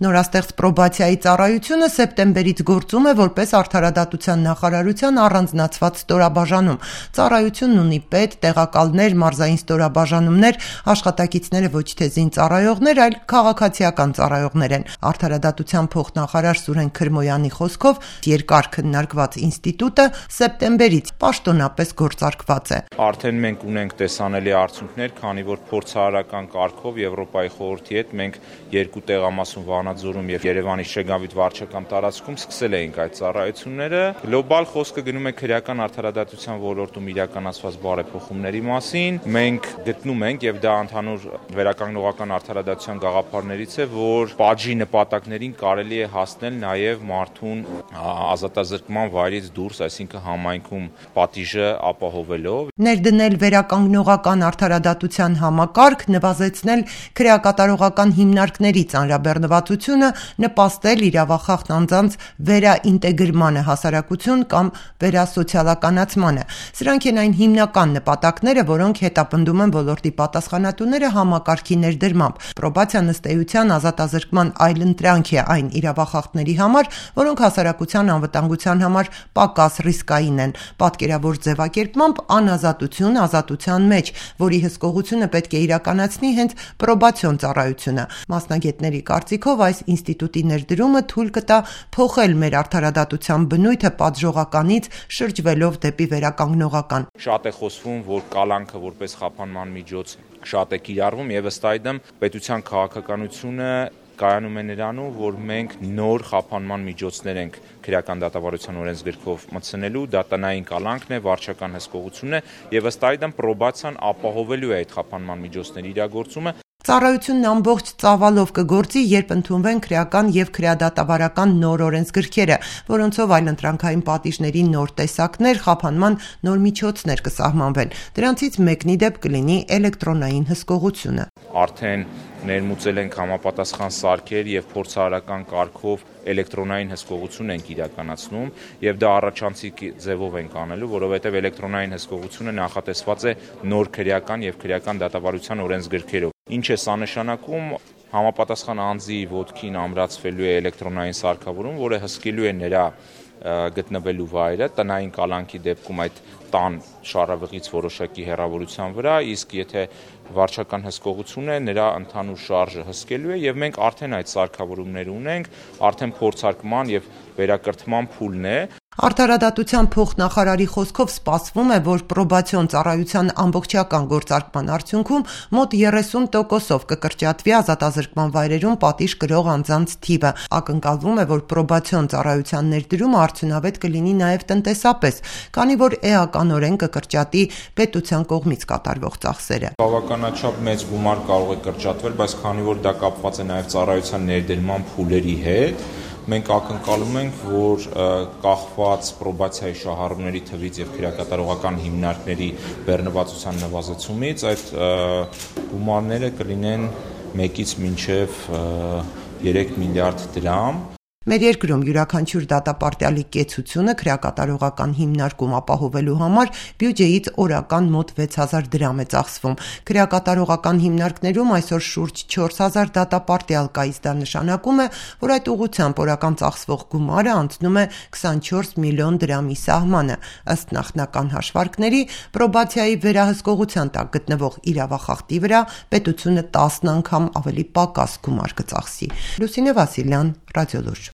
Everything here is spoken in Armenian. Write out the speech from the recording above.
Նորաստեղծ պրոբացիայի ծառայությունը սեպտեմբերից գործում է որպես Արդարադատության նախարարության առանձնացված ստորաբաժանում։ Ծառայությունն ունի պետ, տեղակալներ, մարզային ստորաբաժանումներ, աշխատակիցները ոչ թե զինծառայողներ, այլ քաղաքացիական ծառայողներ են։ Արդարադատության փոխնախարար Սուրեն Քրմոյանի խոսքով երկար քննարկված ինստիտուտը սեպտեմբերից պաշտոնապես գործարկված է։ Արդեն մենք ունենք տեսանելի արդյունքներ, քանի որ փորձարարական կարգով Եվրոպայի խորհրդի հետ մենք երկու տեղամասում Վանաձորում եւ Երևանի Շեգավիթ վարչական տարածքում սկսել էինք այդ ծառայությունները։ Գլոբալ խոսքը գնում է քրեական արդարադատության ոլորտում իրականացված բարեփոխումների մասին։ Մենք գտնում ենք եւ դա ընդհանուր վերականգնողական արդարադատության գաղափարներից է, որ պատժի նպատակներին կարելի է հասնել նաեւ մարդուն ազատազրկման վայրից դուրս, այսինքն համայնքում պատիժը ապահովելով։ Ներդնել վերականգնողական արդարադատության համակարգ, նվազեցնել քրեակատարողական հիմնարկների ծանրաբեռնվածությունը, նպաստել իրավախախտ անձանց վերաինտեգրմանը հասարակություն կամ վերասոցիալականացմանը։ Սրանք են այն հիմնական նպատակները, որոնք հետապնդում են ոլորտի պատասխանատուները համակարգի ներդրմամբ։ Պրոբացիան ըստ էության ազատազրկման այլընտրանք է այն իրավախախտների համար, որոնք հասարակության անվտանգության համար պակաս ռիսկային են։ Պատկերավոր ձևակերպմամբ անազատություն ազատության մեջ, որի հսկողությունը պետք է իրականացնի հենց պրոբացիոն ծառայությունը։ Մասնագետների կարծիքով այս ինստիտուտի ներդրումը թույլ կտա փոխել մեր արդարադատության բնույթը պատժողականից շրջվելով դեպի վերականգնողական։ Շատ է խոսվում, որ կալանքը որպես խափանման միջոց շատ է կիրառվում եւ ըստ այդմ պետության քաղաքականությունը կայանում է նրանում, որ մենք նոր խափանման միջոցներ ենք քրեական դատավարության օրենսգրքով մտցնելու, դա տնային կալանքն է, վարչական հսկողությունն է եւ ըստ այդմ պրոբացիան ապահովելու է այդ խափանման միջոցների իրագործումը։ Ծառայությունն ամբողջ ծավալով կգործի, երբ ընդունվեն քրեական եւ քրեադատավարական նոր օրենսգրքերը, որոնցով այլընտրանքային պատիժների նոր տեսակներ, խափանման նոր միջոցներ կսահմանվեն։ Դրանցից մեկնի դեպ կլինի էլեկտրոնային հսկողությունը։ Արդեն ներմուծել ենք համապատասխան սարքեր եւ փորձարարական կարգով էլեկտրոնային հսկողություն ենք իրականացնում եւ դա առաջանցիկ ձևով ենք անելու, որովհետեւ էլեկտրոնային հսկողությունը նախատեսված է նոր քրեական եւ քրեական դատավարության օրենսգրքերով։ Ինչ է սա նշանակում, համապատասխան անձի ոտքին ամրացվելու է էլեկտրոնային սարքավորում, որը հսկելու է նրա գտնվելու վայրը, տնային կալանքի դեպքում այդ տան շարավղից որոշակի հեռավորության վրա, իսկ եթե վարչական հսկողություն է, նրա ընդհանուր շարժը հսկելու է եւ մենք արդեն այդ սարքավորումները ունենք, արդեն փորձարկման եւ վերակրթման փուլն է։ Արդարադատության փոխնախարարի խոսքով սպասվում է, որ պրոբացիոն ծառայության ամբողջական գործարկման արդյունքում մոտ 30%-ով կկրճատվի ազատազրկման վայրերում պատիժ կրող անձանց թիվը։ Ակնկալվում է, որ պրոբացիոն ծառայության ներդրումը արդյունավետ կլինի նաև տնտեսապես, քանի որ էականորեն կկրճատի պետության կողմից կատարվող ծախսերը։ Բավականաչափ մեծ գումար կարող է կրճատվել, բայց քանի որ դա կապված է նաև ծառայության ներդրման փուլերի հետ, մենք ակնկալում ենք, որ կախված պրոբացիայի շահառուների թվից եւ քրեակատարողական հիմնարկների բեռնվածության նվազեցումից այդ գումարները կլինեն 1-ից մինչեւ 3 միլիարդ դրամ։ Մեր երկրում յուրաքանչյուր դատապարտյալի կեցությունը քրեակատարողական հիմնարկում ապահովելու համար բյուջեից օրական մոտ 6000 դրամ է ծախսվում։ Քրեակատարողական հիմնարկներում այսօր շուրջ 4000 դատապարտյալ կա, իսկ դա նշանակում է, որ այդ ուղղությամբ օրական ծախսվող գումարը անցնում է 24 միլիոն դրամի սահմանը։ Ըստ նախնական հաշվարկների, պրոբացիայի վերահսկողության տակ գտնվող իրավախախտի վրա պետությունը 10 անգամ ավելի պակաս գումար կծախսի։ Լուսինե Վասիլյան, Ռադիոլուրջ։